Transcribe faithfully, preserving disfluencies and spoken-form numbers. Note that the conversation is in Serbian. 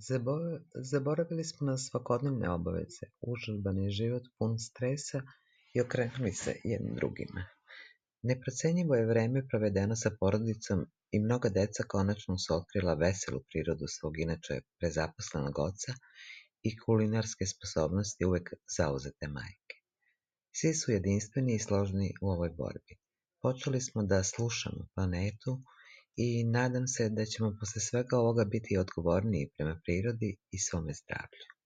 Zabo- Zaboravili smo na svakodnevne obaveze, užurbani život pun stresa i okrenuli se jednim drugima. Neprocenjivo je vreme provedeno sa porodicom i mnoga deca konačno su otkrila veselu prirodu svog inače prezaposlenog oca i kulinarske sposobnosti uvek zauzete majke. Svi su jedinstveni i složni u ovoj borbi. Počeli smo da slušamo planetu i nadam se da ćemo posle svega ovoga biti odgovorniji prema prirodi i svome zdravlju.